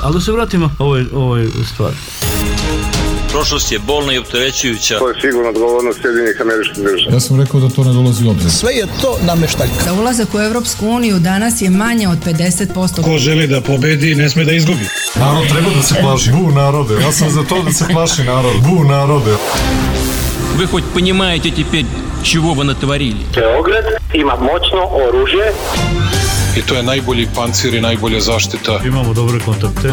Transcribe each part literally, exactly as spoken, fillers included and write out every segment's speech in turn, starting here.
Ali da se vratimo ovoj, ovoj stvari. Prošlost je bolna i opterećujuća. To je sigurno odgovornost Sjedinjenih Američkih Država. Ja sam rekao da to ne dolazi u obzir. Sve je to nameštaljka. Za ulazak u Evropsku uniju danas je manje od pedeset posto. Ko želi da pobedi, ne sme da izgubi. Narod treba da se plaši. Bu narode. Ja sam za to da se plaši narod. Bu narode. Вы хоть понимаете теперь, чего вы натворили? Beograd ima moćno oružje. I to je najbolji pancir i najbolja zaštita. Imamo dobre kontakte.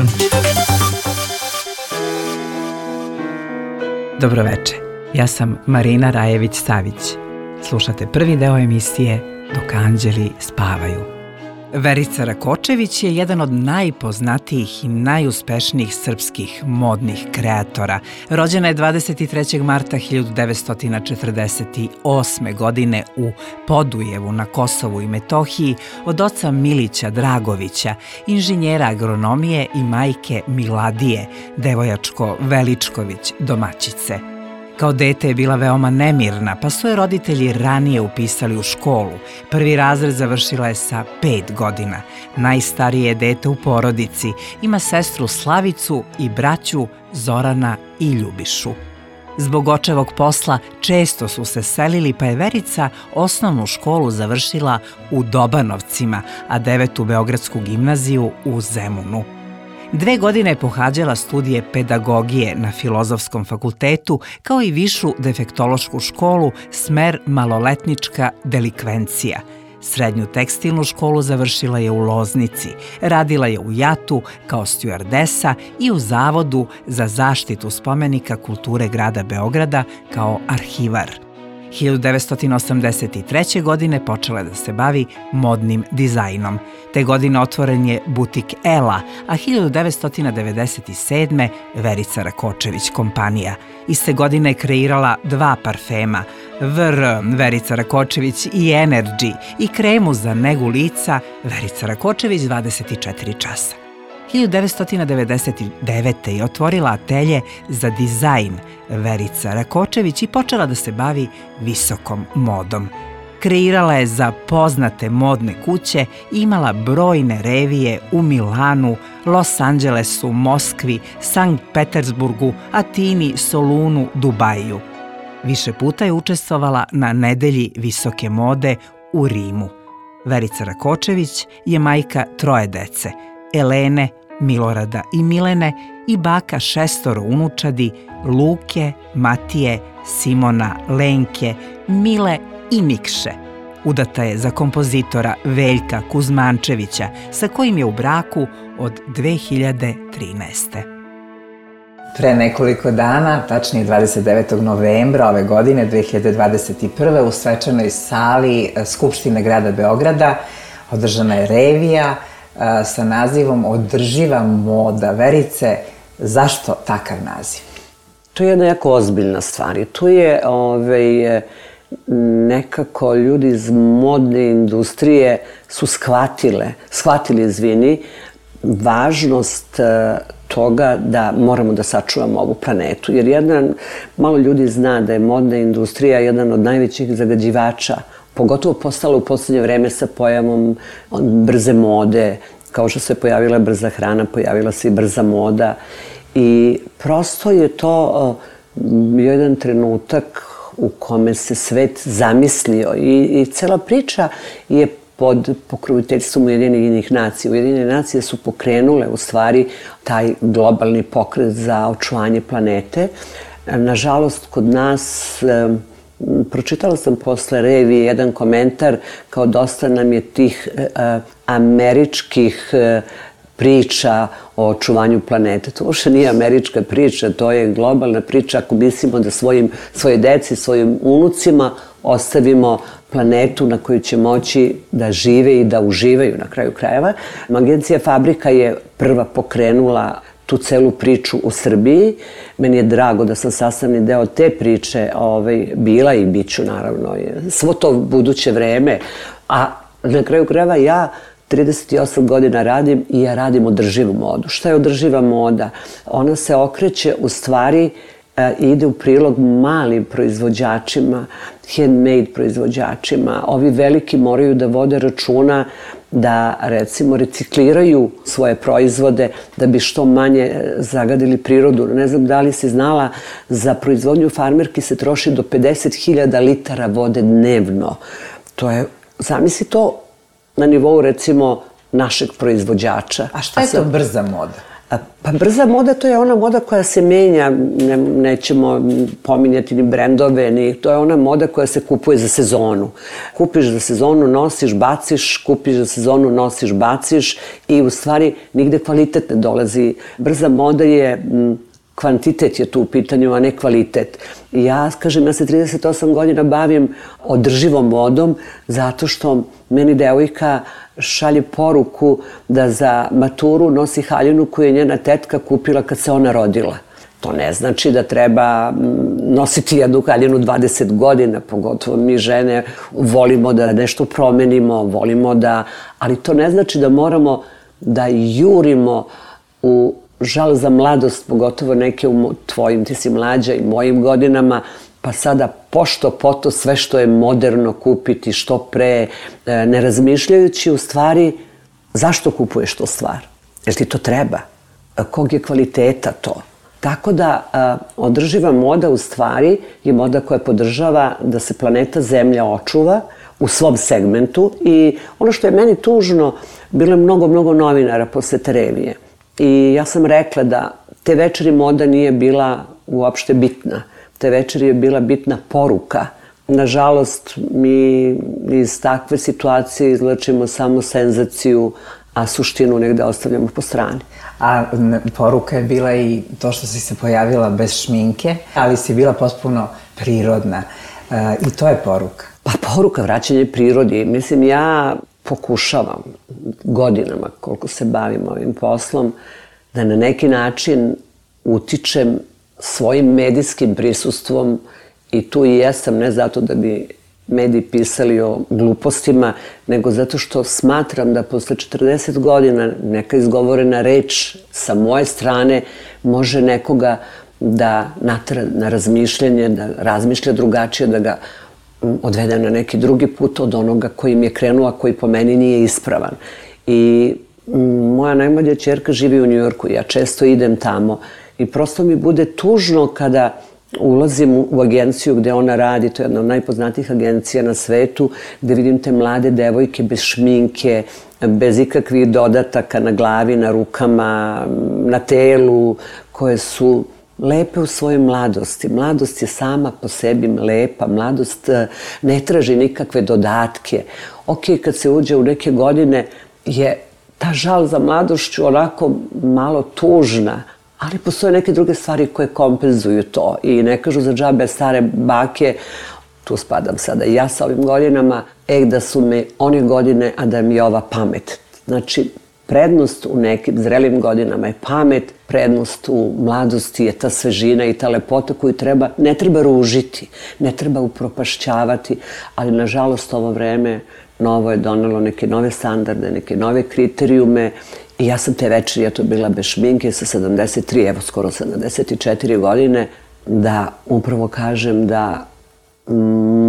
Dobroveče, ja sam Marina Rajević-Savić. Slušate prvi deo emisije Dok anđeli spavaju. Verica Rakočević je jedan od najpoznatijih i najuspešnijih srpskih modnih kreatora. Rođena je dvadeset trećeg marta hiljadu devetsto četrdeset osme. godine u Podujevu na Kosovu i Metohiji od oca Milića Dragovića, inženjera agronomije i majke Miladije, devojačko Veličković, domaćice. Kao dete je bila veoma nemirna, pa su je roditelji ranije upisali u školu. Prvi razred završila je sa pet godina. Najstarije je dete u porodici, ima sestru Slavicu i braću Zorana i Ljubišu. Zbog očevog posla često su se selili, pa je Verica osnovnu školu završila u Dobanovcima, a devetu Beogradsku gimnaziju u Zemunu. Dve godine je pohađala studije pedagogije na Filozofskom fakultetu, kao i višu defektološku školu, smer maloletnička delikvencija. Srednju tekstilnu školu završila je u Loznici, radila je u Jatu kao stjuardesa i u Zavodu za zaštitu spomenika kulture grada Beograda kao arhivar. hiljadu devetsto osamdeset treće. godine počela je da se bavi modnim dizajnom. Te godine otvoren je butik Ela, a hiljadu devetsto devedeset sedme. Verica Rakočević kompanija. Iste godine je kreirala dva parfema, V R Verica Rakočević i Energy i kremu za negu lica Verica Rakočević dvadeset četiri časa. hiljadu devetsto devedeset devete. je otvorila atelje za dizajn Verica Rakočević i počela da se bavi visokom modom. Kreirala je za poznate modne kuće i imala brojne revije u Milanu, Los Angelesu, Moskvi, Sankt Petersburgu, Atini, Solunu, Dubaju. Više puta je učestvovala na nedelji visoke mode u Rimu. Verica Rakočević je majka troje dece, Elene, Milorada i Milene i baka šestoro unučadi Luke, Matije, Simona, Lenke, Mile i Mikše. Udata je za kompozitora Veljka Kuzmančevića, sa kojim je u braku od dve hiljade trinaeste. Pre nekoliko dana, tačnije dvadeset devetog novembra ove godine, dve hiljade dvadeset prve. u svečanoj sali Skupštine grada Beograda održana je revija sa nazivom Održiva moda. Verice, zašto takav naziv? To je jedna jako ozbiljna stvar i tu je ovaj, nekako ljudi iz modne industrije su shvatile, shvatili, izvini, važnost toga da moramo da sačuvamo ovu planetu. Jer jedan, malo ljudi zna da je modna industrija jedan od najvećih zagađivača, pogotovo postala u poslednje vreme sa pojavom brze mode, kao što se pojavila brza hrana, pojavila se i brza moda. I prosto je to jedan trenutak u kome se svet zamislio i, i cela priča je pod pokroviteljstvom Ujedinjenih nacija. Ujedinjene nacije su pokrenule u stvari taj globalni pokret za očuvanje planete. Nažalost, kod nas, pročitala sam posle revije jedan komentar, kao dosta nam je tih američkih priča o očuvanju planete. To uopšte nije američka priča, to je globalna priča ako mislimo da svojim, svoje deci, svojim unucima ostavimo planetu na kojoj će moći da žive i da uživaju na kraju krajeva. Agencija Fabrika je prva pokrenula tu celu priču u Srbiji. Meni je drago da sam sastavni deo te priče ovaj, bila i bit ću naravno svo to buduće vreme. A na kraju krajeva ja trideset osam godina radim i ja radim održivu modu. Šta je održiva moda? Ona se okreće u stvari ide u prilog malim proizvođačima, handmade proizvođačima. Ovi veliki moraju da vode računa da, recimo, recikliraju svoje proizvode da bi što manje zagadili prirodu. Ne znam da li si znala, za proizvodnju farmerki se troši do pedeset hiljada litara vode dnevno. To je, zamisli to na nivou, recimo, našeg proizvođača. A šta je to brza moda? Pa brza moda, to je ona moda koja se menja, ne, nećemo pominjati ni brendove, ni, to je ona moda koja se kupuje za sezonu. Kupiš za sezonu, nosiš, baciš, kupiš za sezonu, nosiš, baciš i u stvari nigde kvalitet ne dolazi. Brza moda je, m, kvantitet je tu u pitanju, a ne kvalitet. Ja, kažem, ja se trideset osam godina bavim održivom modom zato što meni devojka šalje poruku da za maturu nosi haljinu koju je njena tetka kupila kad se ona rodila. To ne znači da treba nositi jednu haljinu dvadeset godina, pogotovo mi žene volimo da nešto promenimo, volimo da, ali to ne znači da moramo da jurimo u žal za mladost, pogotovo neke u tvojim, ti si mlađa i mojim godinama, pa sada pošto poto sve što je moderno kupiti što pre, ne razmišljajući u stvari zašto kupuješ to stvar. Jer ti to treba? Kog je kvaliteta to? Tako da održiva moda u stvari je moda koja podržava da se planeta Zemlja očuva u svom segmentu i ono što je meni tužno, bilo je mnogo, mnogo novinara posle te revije. I ja sam rekla da te večeri moda nije bila uopšte bitna. Te večeri je bila bitna poruka. Nažalost, mi iz takve situacije izlačimo samo senzaciju, a suštinu negde ostavljamo po strani. A poruka je bila i to što si se pojavila bez šminke, ali si bila potpuno prirodna. E, I to je poruka. Pa poruka, vraćanje prirodi. Mislim, ja pokušavam godinama, koliko se bavim ovim poslom, da na neki način utičem svojim medijskim prisustvom i tu i jesam, ne zato da bi mediji pisali o glupostima, nego zato što smatram da posle četrdeset godina neka izgovorena reč sa moje strane može nekoga da natera na razmišljanje, da razmišlja drugačije, da ga odvede na neki drugi put od onoga kojim je krenuo, a koji po meni nije ispravan. I moja najmlađa ćerka živi u Njujorku, ja često idem tamo i prosto mi bude tužno kada ulazim u agenciju gde ona radi, to je jedna od najpoznatijih agencija na svetu, gde vidim te mlade devojke bez šminke, bez ikakvih dodataka na glavi, na rukama, na telu, koje su lepe u svojoj mladosti. Mladost je sama po sebi lepa, mladost ne traži nikakve dodatke. Ok, kad se uđe u neke godine je ta žal za mladošću onako malo tužna, ali postoje neke druge stvari koje kompenzuju to i ne kažu za džabe stare bake, tu spadam sada i ja sa ovim godinama, e da su me one godine, a da mi je ova pamet. Znači, prednost u nekim zrelim godinama je pamet, prednost u mladosti je ta svežina i ta lepota koju treba, ne treba ružiti, ne treba upropašćavati, ali nažalost ovo vreme novo je donelo neke nove standarde, neke nove kriterijume i ja sam te večeri, ja to bila bez šminke sa sedamdeset tri, evo skoro sedamdeset četiri godine, da upravo kažem da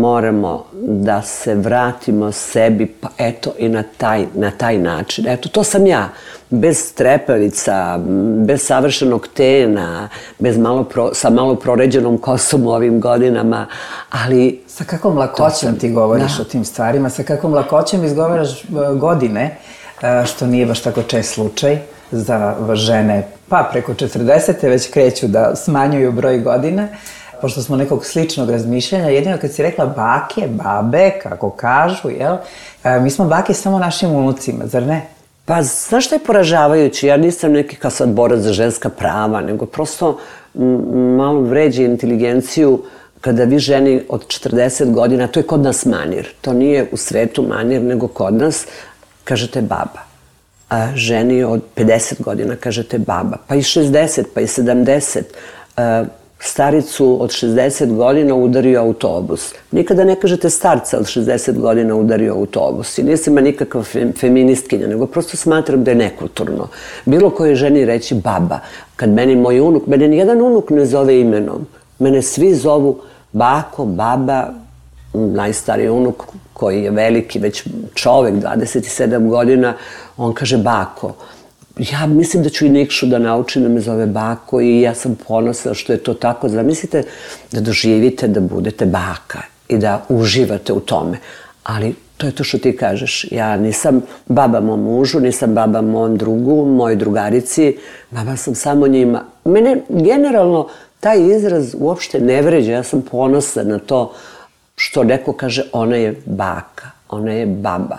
moramo da se vratimo sebi, pa eto i na taj, na taj način. Eto, to sam ja, bez trepavica, bez savršenog tena, bez malo pro, sa malo proređenom kosom u ovim godinama, ali... Sa kakvom lakoćem ti govoriš o tim stvarima, sa kakvom lakoćem izgovaraš godine, što nije baš tako čest slučaj za žene, pa preko četrdesete već kreću da smanjuju broj godina, pošto smo nekog sličnog razmišljanja, jedino kad si rekla bake, babe, kako kažu, jel? Mi smo bake samo našim unucima, zar ne? Pa, znaš što je poražavajući? Ja nisam neki kao sad borac za ženska prava, nego prosto malo vređe inteligenciju kada vi ženi od četrdeset godina, to je kod nas manir, to nije u svetu manir, nego kod nas, kažete baba. A ženi od pedeset godina kažete baba, pa i šezdeset, pa i sedamdeset. staricu od šezdeset godina udario autobus. Nikada ne kažete starca od šezdeset godina udario autobus. I nisam nikakva feministkinja, nego prosto smatram da je nekulturno. Bilo koje ženi reći baba. Kad meni moj unuk, mene nijedan unuk ne zove imenom. Mene svi zovu bako, baba, najstariji unuk koji je veliki, već čovek, dvadeset sedam godina, on kaže bako. Ja mislim da ću i Nikšu da naučim da me zove bako i ja sam ponosna što je to tako. Zamislite da doživite da budete baka i da uživate u tome. Ali to je to što ti kažeš. Ja nisam baba mom mužu, nisam baba mom drugu, moj drugarici. Baba sam samo njima. Mene generalno taj izraz uopšte ne vređa. Ja sam ponosna na to što neko kaže ona je baka, ona je baba.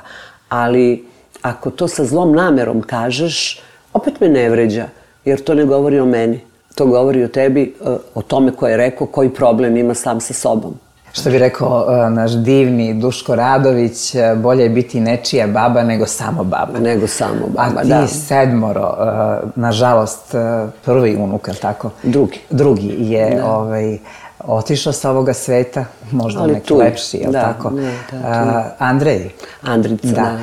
Ali ako to sa zlom namerom kažeš, opet me ne vređa, jer to ne govori o meni. To govori o tebi, o tome ko je rekao, koji problem ima sam sa sobom. Što bi rekao naš divni Duško Radović, bolje je biti nečija baba nego samo baba. Nego samo baba, da. A ti sedmoro, nažalost, prvi unuk, ali tako? Drugi. Drugi je otišao sa ovoga sveta, možda neki lepši, je li tako? Andrej. Andrica, da.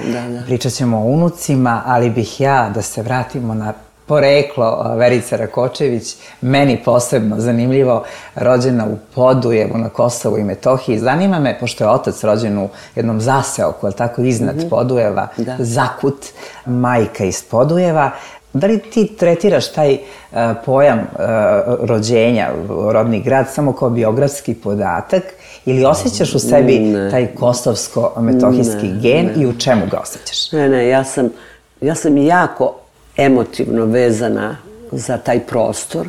Pričat ćemo o unucima, ali bih ja da se vratimo na poreklo Verice Rakočević, meni posebno zanimljivo, rođena u Podujevu na Kosovu i Metohiji. Zanima me, pošto je otac rođen u jednom zaseoku, ali tako iznad Podujeva, Zakut, majka iz Podujeva. Da li ti tretiraš taj pojam rođenja, rodni grad, samo kao biografski podatak ili osjećaš u sebi taj kosovsko-metohijski gen i u čemu ga osjećaš? Ne, ne, ja sam jako emotivno vezana za taj prostor.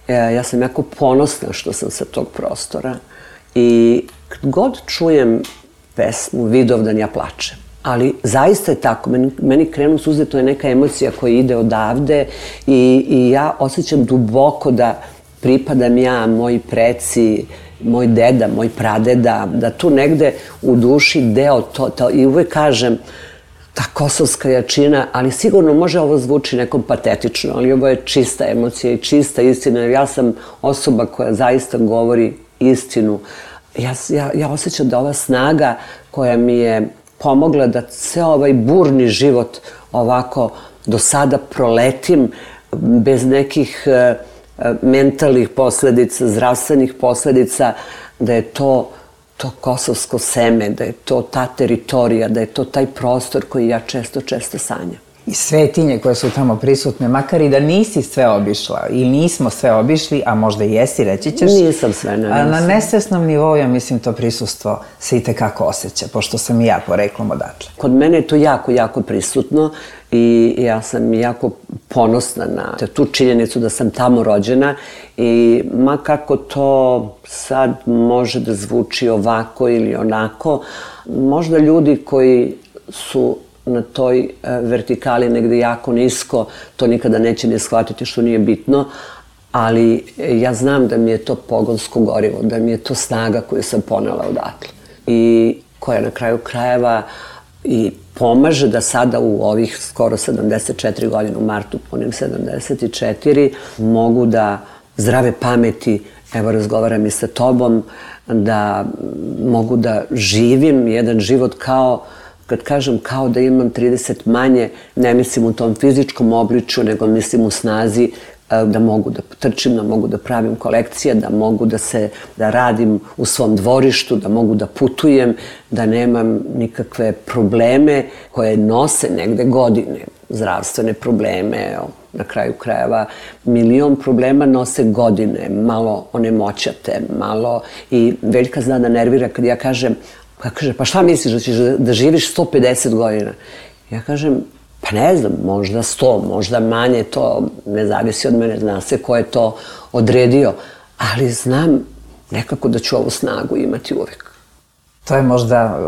Ja sam jako ponosna što sam sa tog prostora i kad god čujem pesmu Vidovdan ja plačem. Ali zaista je tako, meni krenu suze, to je neka emocija koja ide odavde i ja osjećam duboko da pripadam ja, moji preci, moj deda, moj pradeda, da tu negde u duši deo to, i uvek kažem ta kosovska jačina, ali sigurno može ovo zvuči nekom patetično, ali ovo je čista emocija i čista istina, jer ja sam osoba koja zaista govori istinu. Ja osjećam da ova snaga koja mi je pomogla da ceo ovaj burni život ovako do sada proletim bez nekih mentalnih posledica, zdravstvenih posledica, da je to to kosovsko seme, da je to ta teritorija, da je to taj prostor koji ja često, često sanjam. I svetinje koje su tamo prisutne, makar i da nisi sve obišla i nismo sve obišli, a možda i jesi, reći ćeš. Nisam sve, ne nisam. Na nesvesnom nivou, ja mislim, to prisustvo se i tekako osjeća, pošto sam i ja poreklom odatle. Kod mene je to jako, jako prisutno i ja sam jako ponosna na tu činjenicu da sam tamo rođena i ma kako to sad može da zvuči ovako ili onako, možda ljudi koji su na toj vertikali negde jako nisko, to nikada neće ne shvatiti što nije bitno, ali ja znam da mi je to pogonsko gorivo, da mi je to snaga koju sam ponela odatle i koja na kraju krajeva i pomaže da sada u ovih skoro sedamdeset četiri godine, u martu punim sedamdeset četiri, mogu da zdrave pameti, evo razgovaram i sa tobom, da mogu da živim jedan život kao, kad kažem kao da imam trideset manje, ne mislim u tom fizičkom obličju, nego mislim u snazi da mogu da trčim, da mogu da pravim kolekcije, da mogu da se, da radim u svom dvorištu, da mogu da putujem, da nemam nikakve probleme koje nose negde godine, zdravstvene probleme, na kraju krajeva milion problema nose godine, malo onemoćate, malo i Veljka zna da nervira kad ja kažem, kaže, pa šta misliš da ćeš da živiš sto pedeset godina? Ja kažem, pa ne znam, možda sto, možda manje, to ne zavisi od mene, zna se ko je to odredio, ali znam nekako da ću ovu snagu imati uvek. To je možda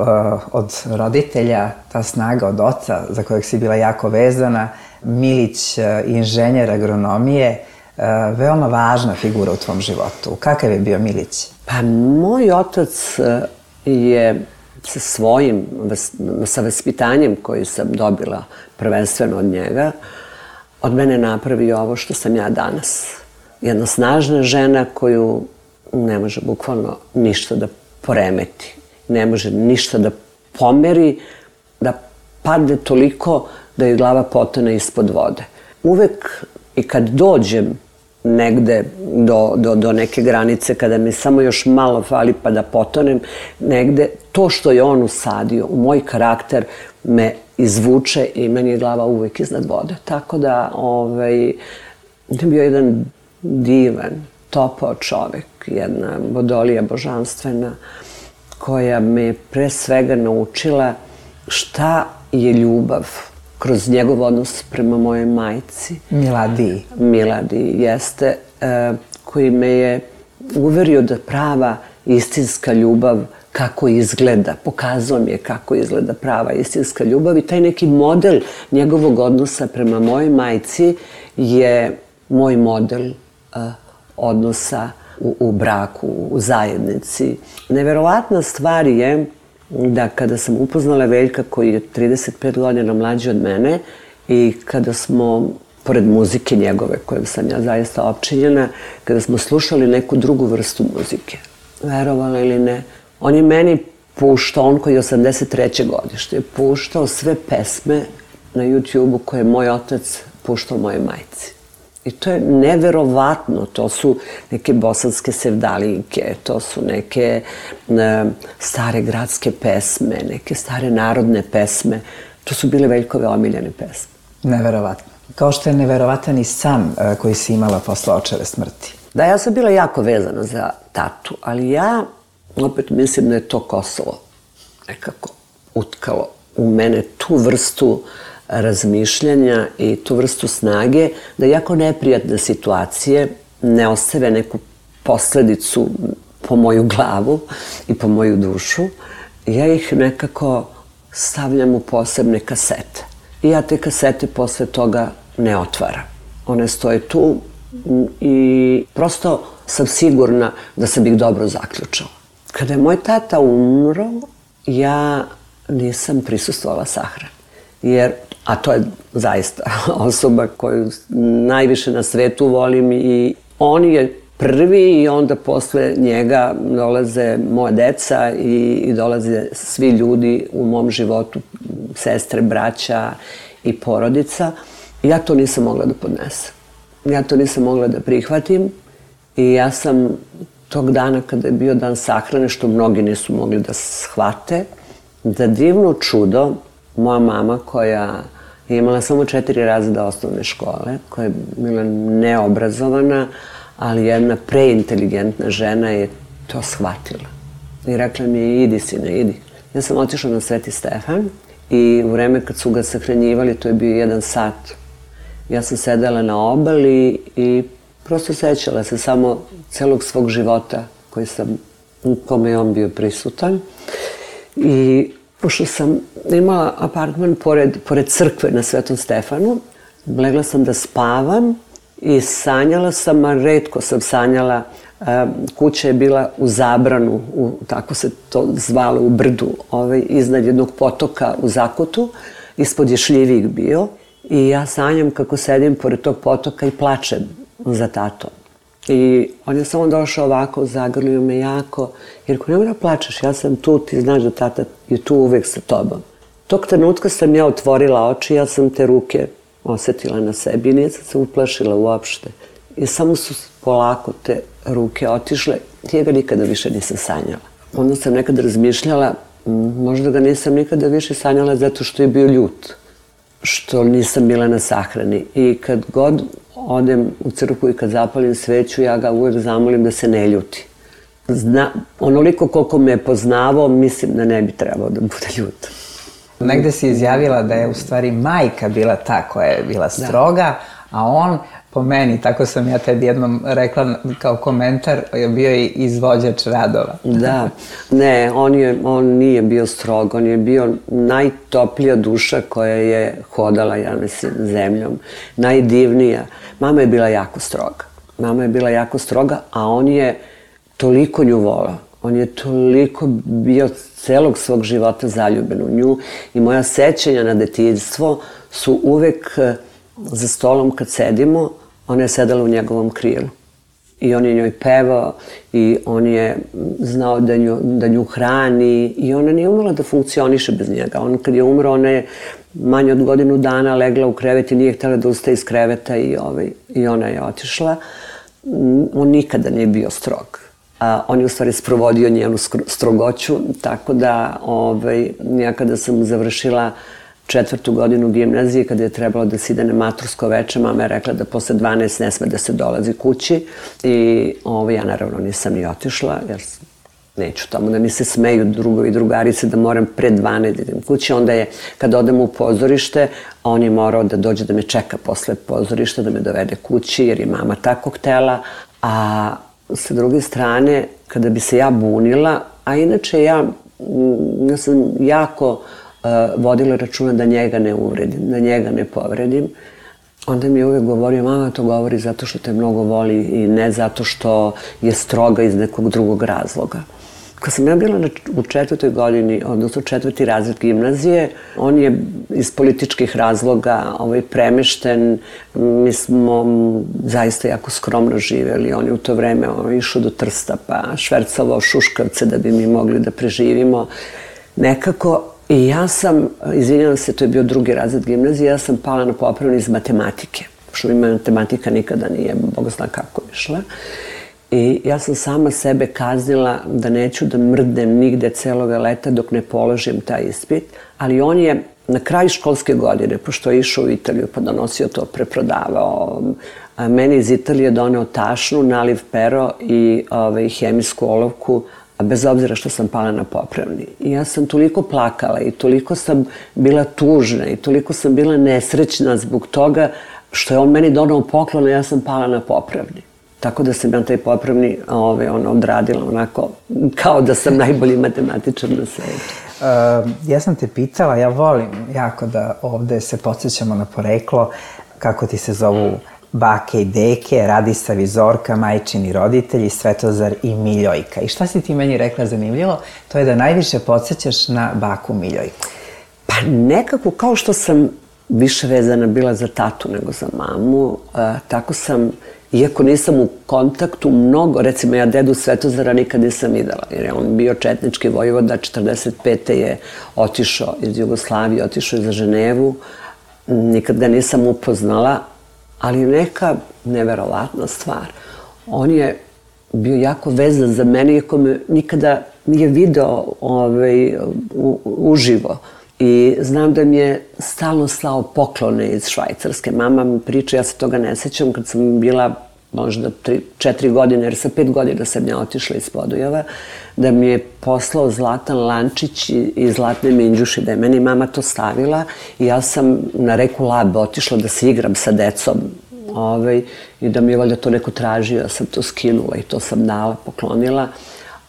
od roditelja, ta snaga od oca za kojeg si bila jako vezana, Milić, inženjer agronomije, veoma važna figura u tvom životu. Kakav je bio Milić? Pa moj otac je sa svojim, sa vaspitanjem koji sam dobila prvenstveno od njega, od mene napravio ovo što sam ja danas. jedna snažna žena koju ne može bukvalno ništa da poremeti. Ne može ništa da pomeri, da padne toliko da joj glava potone ispod vode. Uvek i kad dođem negde do, do, do neke granice, kada mi samo još malo fali pa da potonem negde, to što je on usadio u moj karakter me izvuče i meni je glava uvek iznad vode. Tako da, ovaj, je bio jedan divan, topao čovek, jedna vodolija božanstvena, koja me pre svega naučila šta je ljubav kroz njegov odnos prema mojoj majci. Miladiji. Miladiji, jeste, e, koji me je uverio da prava istinska ljubav kako izgleda, pokazao mi je kako izgleda prava istinska ljubav i taj neki model njegovog odnosa prema mojoj majci je moj model uh, odnosa u, u braku, u zajednici. Neverovatna stvar je da kada sam upoznala Veljka koji je trideset pet godina mlađi od mene i kada smo, pored muzike njegove kojom sam ja zaista opčinjena, kada smo slušali neku drugu vrstu muzike, verovala ili ne, on je meni puštao, on koji je osamdeset treće godište, puštao sve pesme na YouTube-u koje je moj otac puštao moje majci. I to je neverovatno, to su neke bosanske sevdalinke, to su neke ne, stare gradske pesme, neke stare narodne pesme. To su bile Veljkove omiljene pesme. Neverovatno. Kao što je neverovatan i san koji si imala posle očeve smrti. Da, ja sam bila jako vezana za tatu, ali ja opet mislim da je to Kosovo nekako utkalo u mene tu vrstu razmišljanja i tu vrstu snage da jako neprijatne situacije ne ostave neku posledicu po moju glavu i po moju dušu. Ja ih nekako stavljam u posebne kasete. I ja te kasete posle toga ne otvaram. One stoje tu i prosto sam sigurna da sam ih dobro zaključala. Kada je moj tata umro, ja nisam prisustvovala sahrani. Jer, a to je zaista osoba koju najviše na svetu volim i on je prvi i onda posle njega dolaze moja deca i, i dolaze svi ljudi u mom životu, sestre, braća i porodica. I ja to nisam mogla da podnesem. Ja to nisam mogla da prihvatim i ja sam tog dana kada je bio dan sahrane, što mnogi nisu mogli da shvate, da divno čudo, moja mama koja je imala samo četiri razreda osnovne škole, koja je bila neobrazovana, ali jedna preinteligentna žena je to shvatila. I rekla mi je, idi sine, idi. Ja sam otišla na Sveti Stefan i u vreme kad su ga sahranjivali, to je bio jedan sat. Ja sam sedela na obali i prosto sećala se samo celog svog života koji sam, u kome je on bio prisutan. I pošto sam imala apartman pored, pored crkve na Svetom Stefanu, legla sam da spavam i sanjala sam, a retko sam sanjala. Kuća je bila u Zabranu, u, tako se to zvalo, u brdu, ovaj, iznad jednog potoka u Zakutu. Ispod je šljivik bio i ja sanjam kako sedim pored tog potoka i plačem za tatom. I on je samo došao ovako, zagrlio me jako, jer ako nemoj da plačeš, ja sam tu, ti znaš da tata je tu uvek sa tobom. Tog trenutka sam ja otvorila oči, ja sam te ruke osetila na sebi i nije sam se uplašila uopšte. I samo su polako te ruke otišle, ja ga nikada više nisam sanjala. Onda sam nekad razmišljala, možda ga nisam nikada više sanjala zato što je bio ljut, što nisam bila na sahrani. I kad god odem u crkvu i kad zapalim sveću, ja ga uvek zamolim da se ne ljuti. Zna, onoliko koliko me je poznavao, mislim da ne bi trebao da bude ljut. Negde si izjavila da je u stvari majka bila ta koja je bila stroga, da. A on, po meni, tako sam ja tebi jednom rekla kao komentar, je bio i izvođač radova. Da, ne, on, je, on nije bio strog, on je bio najtoplija duša koja je hodala, ja mislim, zemljom, najdivnija. Mama je bila jako stroga, mama je bila jako stroga, a on je toliko nju volao. On je toliko bio celog svog života zaljubljen u nju i moja sećanja na detinjstvo su uvek za stolom kad sedimo, ona je sedala u njegovom krilu. i on je njoj pevao i on je znao da nju, da nju hrani i ona nije umela da funkcioniše bez njega. On kad je umro, ona je manje od godinu dana legla u krevet i nije htjela da ustaje iz kreveta i, ovaj, i ona je otišla. On nikada nije bio strog. A, on je u stvari sprovodio njenu strogoću, tako da ovaj, ja kada sam završila četvrtu godinu gimnazije, kada je trebalo da se ide na matursko veče, mama je rekla da posle dvanaest ne sme da se dolazi kući i ovaj, ja naravno nisam ni otišla, jer neću tamo da mi se smeju drugovi i drugarice da moram pre dvanaest da idem kući. Onda je, kada odem u pozorište, on je morao da dođe da me čeka posle pozorišta, da me dovede kući, jer je mama tako htela. A sa druge strane, kada bi se ja bunila, a inače ja, ja sam jako uh, vodila računa da njega ne uvredim, da njega ne povredim, onda mi je uvijek govorio, mama to govori zato što te mnogo voli i ne zato što je stroga iz nekog drugog razloga. Kad sam ja bila u četvrtoj godini, odnosno četvrti razred gimnazije, on je iz političkih razloga ovaj, premešten. Mi smo zaista jako skromno živjeli. On je u to vreme on, išao do Trsta pa švercovao šuškavce da bi mi mogli da preživimo. Nekako, i ja sam, izvinjavam se, to je bio drugi razred gimnazije, ja sam pala na popravni iz matematike. Što mi matematika nikada nije, Bog zna kako išla. I ja sam sama sebe kaznila da neću da mrdnem nigde celoga leta dok ne položim taj ispit, ali on je na kraju školske godine, pošto je išao u Italiju pa donosio to, preprodavao, a meni iz Italije doneo tašnu, naliv pero i ovaj, hemijsku olovku, a bez obzira što sam pala na popravni. I ja sam toliko plakala i toliko sam bila tužna i toliko sam bila nesrećna zbog toga što je on meni donao poklon, a ja sam pala na popravni. Tako da sam ja taj popravni ove, ono, odradila onako kao da sam najbolji matematičar na svetu. Uh, ja sam te pitala, ja volim jako da ovde se podsjećamo na poreklo, kako ti se zovu bake i deke, Radisav i Zorka, majčini roditelji, Svetozar i Miljojka. I šta si ti meni rekla zanimljivo? To je da najviše podsjećaš na baku Miljojku. Pa nekako kao što sam više vezana bila za tatu nego za mamu, a, tako sam, iako nisam u kontaktu mnogo, recimo ja dedu Svetozara nikad nisam videla, jer je on bio četnički vojvoda, četrdeset pete je otišao iz Jugoslavije, otišao za Ženevu, nikad ga nisam upoznala, ali neka neverovatna stvar. On je bio jako vezan za mene, iako me nikada nije video ovaj, u, uživo. I znam da mi je stalno slao poklone iz Švajcarske. Mama mi priča, ja se toga ne sećam, kad sam bila možda tri, četiri godine, jer sa pet godina sam ja otišla iz Podujeva, da mi je poslao zlatan lančić i zlatne minđuši, da je meni mama to stavila i ja sam na reku Labe otišla da se igram sa decom ovaj, i da mi je valjda to neko tražio, ja sam to skinula i to sam dala, poklonila.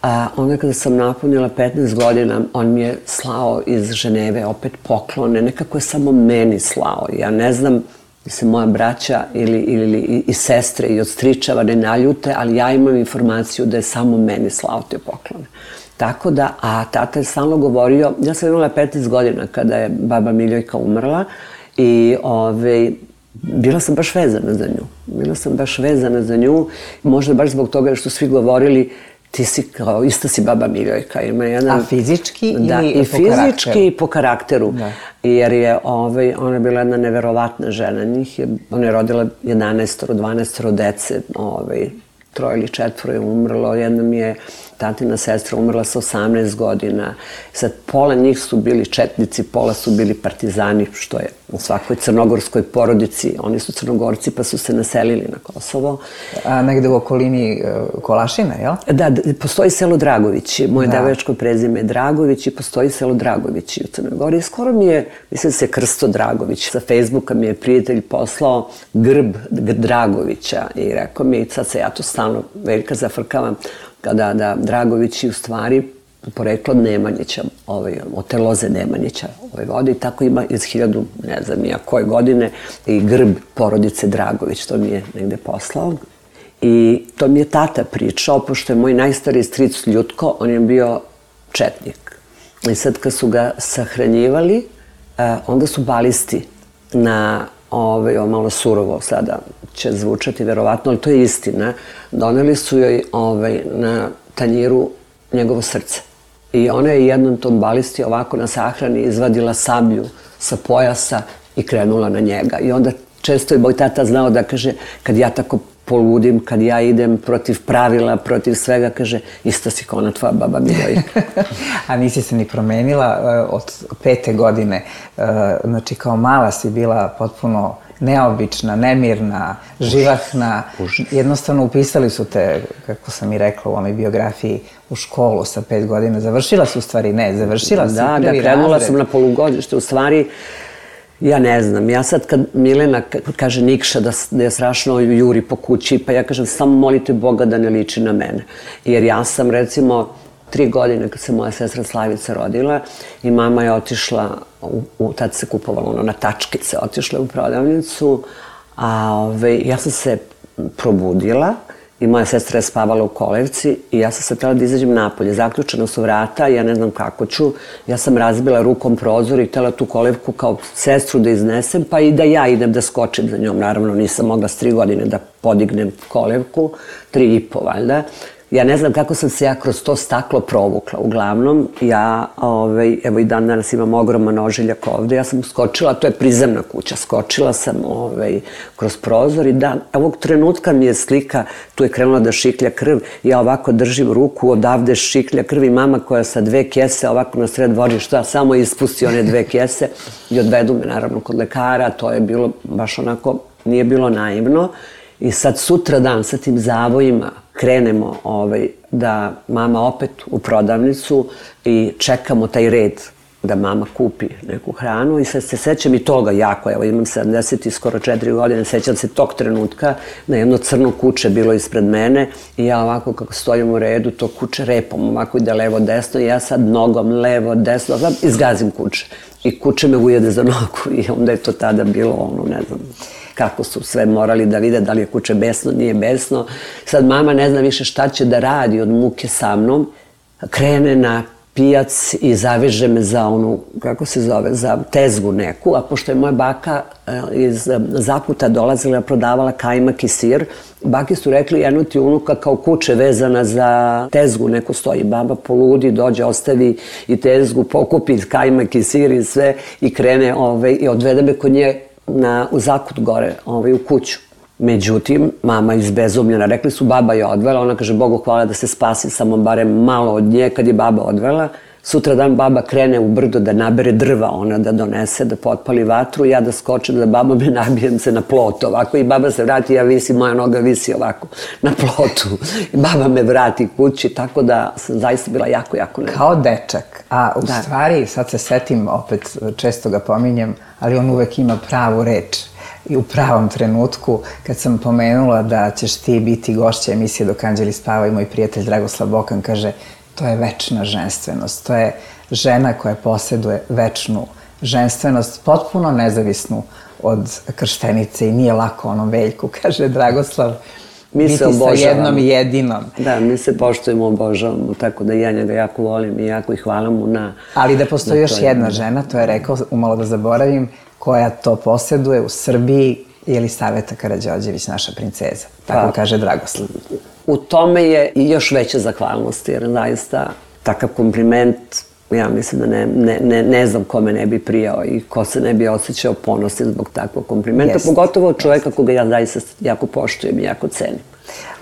A onda kada sam napunila petnaest godina, on mi je slao iz Ženeve opet poklone, nekako je samo meni slao. Ja ne znam da se moja braća ili, ili i, i sestre i od stričeva ne naljute, ali ja imam informaciju da je samo meni slao te poklone. Tako da, a tata je stalno govorio, ja sam imala petnaest godina kada je baba Miljojka umrla i ove, bila sam baš vezana za nju. Bila sam baš vezana za nju, možda baš zbog toga što svi govorili ti si kao, ista si baba Miljojka. Ima jedan, a fizički da, ili i po karakteru? I fizički i po karakteru. Da. Jer je, ovaj, ona je bila jedna neverovatna žena. Njih je, ona je rodila jedanaest, dvanaest dece, ovaj, troje ili četvoro je umrlo. Jedna mi je tatina sestra umrla sa osamnaest godina. Sad, pola njih su bili četnici, pola su bili partizani, što je u svakoj crnogorskoj porodici. Oni su Crnogorci pa su se naselili na Kosovo. A negde u okolini uh, Kolašina, jel? Da, postoji selo Dragovići. Moje da. devojačko prezime je Dragović i postoji selo Dragovići u Crnoj Gori. Skoro mi je, mislim se Krsto Dragović. Sa Facebooka mi je prijatelj poslao grb Dragovića i rekao mi, sad se ja to stalno Veljka zafrkavam, kada da Dragovići u stvari poreklo od Nemanjića, ovaj, od te loze Nemanjića ovaj, vode i tako ima iz hiljadu, ne znam nija koje godine, i grb porodice Dragović, to mi je negde poslao. I to mi je tata pričao, pošto je moj najstariji stric Ljutko, on je bio četnik. I sad kad su ga sahranjivali, onda su balisti na ovaj, ovo malo surovo sada će zvučati verovatno, ali to je istina, doneli su joj ovaj, na tanjiru njegovo srce. I ona je jednom tom balisti ovako na sahrani izvadila sablju sa pojasa i krenula na njega. I onda često je moj tata znao da kaže, kad ja tako poludim, kad ja idem protiv pravila, protiv svega, kaže, isto si kao ona tvoja baba Milojka. A nisi se ni promenila od pete godine, znači kao mala si bila potpuno neobična, nemirna, živahna. Jednostavno upisali su te, kako sam i rekla u onoj biografiji, u školu sa pet godina. Završila si u stvari, ne, završila si prvi razred. Da, da, krenula sam na polugodište, u stvari, ja ne znam, ja sad kad Milena kaže Nikša da, da je strašno juri po kući, pa ja kažem samo molite Boga da ne liči na mene. Jer ja sam recimo tri godine kad se moja sestra Slavica rodila i mama je otišla, u, u, tad se kupovalo ono na tačkice, otišla u prodavnicu, a ove, ja sam se probudila i moja sestra je spavala u kolevci i ja sam se htjela da izađem napolje. Zaključena su vrata, ja ne znam kako ću. Ja sam razbila rukom prozor i htjela tu kolevku kao sestru da iznesem, pa i da ja idem da skočim za njom. Naravno, nisam mogla s tri godine da podignem kolevku, tri i po valjda. Ja ne znam kako sam se ja kroz to staklo provukla. Uglavnom, ja, ovaj, evo i dan danas imam ogroman ožiljak ovde, ja sam skočila, to je prizemna kuća, skočila sam ovaj, kroz prozor i dan, ovog trenutka mi je slika, tu je krenula da šiklja krv, ja ovako držim ruku, odavde šiklja krv i mama koja sa dve kese ovako na sred dvorišta samo ispusti one dve kese i odvedu me naravno kod lekara, to je bilo baš onako, nije bilo naivno. I sad sutra dan sa tim zavojima krenemo ovaj, da mama opet u prodavnicu i čekamo taj red da mama kupi neku hranu i sad se sećam i toga jako, evo imam sedamdeset i skoro četiri godine, sećam se tog trenutka na jedno crno kuće bilo ispred mene i ja ovako kako stojim u redu, to kuće repom ovako ide levo desno i ja sad nogom levo desno, izgazim kuće i kuće me ujede za nogu i onda je to tada bilo ono, ne znam, kako su sve morali da vide da li je kuće besno, nije besno. Sad mama ne zna više šta će da radi od muke sa mnom. Krene na pijac i zaveže me za onu, kako se zove, za tezgu neku, a pošto je moja baka iz Zakuta dolazila, prodavala kajmak i sir, baki su rekli jedno ti unuka kao kuće vezana za tezgu, neko stoji, baba poludi, dođe, ostavi i tezgu, pokupi kajmak i sir i sve i krene ovaj, i odvede me kod nje na, u Zakut gore, ovaj, u kuću. Međutim, mama izbezumljena, rekli su baba je odvela, ona kaže Bogu hvala da se spasi samo barem malo od nje kad je baba odvela. Sutra dan baba krene u brdo da nabere drva, ona da donese, da potpali vatru, ja da skočim da baba me nabijem se na plot ovako i baba se vrati, ja visi, moja noga visi ovako na plotu. I baba me vrati kući, tako da sam zaista bila jako, jako nervozna. Kao dečak, a u da. Stvari, sad se setim, opet često ga pominjem, ali on uvek ima pravu reč. I u pravom trenutku, kad sam pomenula da ćeš ti biti gošća emisije Dok anđeli spavaju, moj prijatelj Dragoslav Bokan kaže to je večna ženstvenost, to je žena koja posjeduje večnu ženstvenost, potpuno nezavisnu od krštenice i nije lako onom Veljku, kaže Dragoslav, mi se biti sa jednom jedinom. Da, mi se poštujemo, obožavamo, tako da ja njega jako volim i jako ih hvala mu na... Ali da postoji još jedna žena, to je rekao, umalo da zaboravim, koja to posjeduje u Srbiji, Jelisaveta Karađorđević, naša princeza. Tako pa, kaže Dragoslav. U tome je i još veća zahvalnost, jer zaista takav kompliment, ja mislim da ne, ne, ne, ne znam kome ne bi prijao i ko se ne bi osjećao ponosni zbog takvog komplimenta, jest, pogotovo čovjeka koga ja zaista jako poštujem i jako cenim.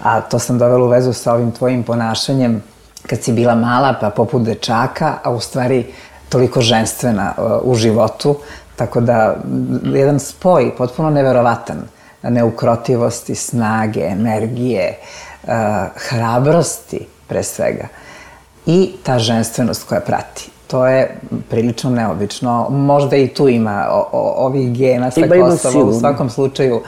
A to sam dovela u vezu sa ovim tvojim ponašanjem kad si bila mala, pa poput dečaka, a u stvari toliko ženstvena uh, u životu. Tako da, jedan spoj potpuno neverovatan, neukrotivosti, snage, energije, uh, hrabrosti pre svega i ta ženstvenost koja prati. To je prilično neobično. Možda i tu ima o, o, ovih gena sa Kosova, u svakom slučaju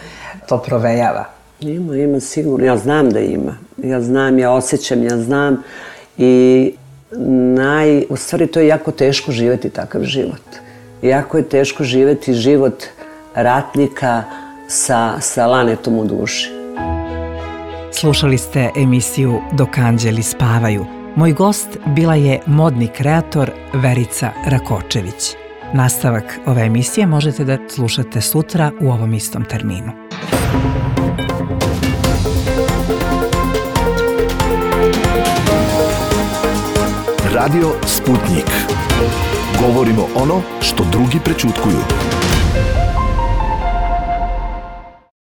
to provejava. Ima, ima sigurno. Ja znam da ima. Ja znam, ja osjećam, ja znam i naj... u stvari to je jako teško živjeti takav život. Jako je teško živjeti život ratnika sa, sa lanetom u duši. Slušali ste emisiju Dok anđeli spavaju. Moj gost bila je modni kreator Verica Rakočević. Nastavak ove emisije možete da slušate sutra u ovom istom terminu. Radio Sputnik. Govorimo ono što drugi prećutkuju.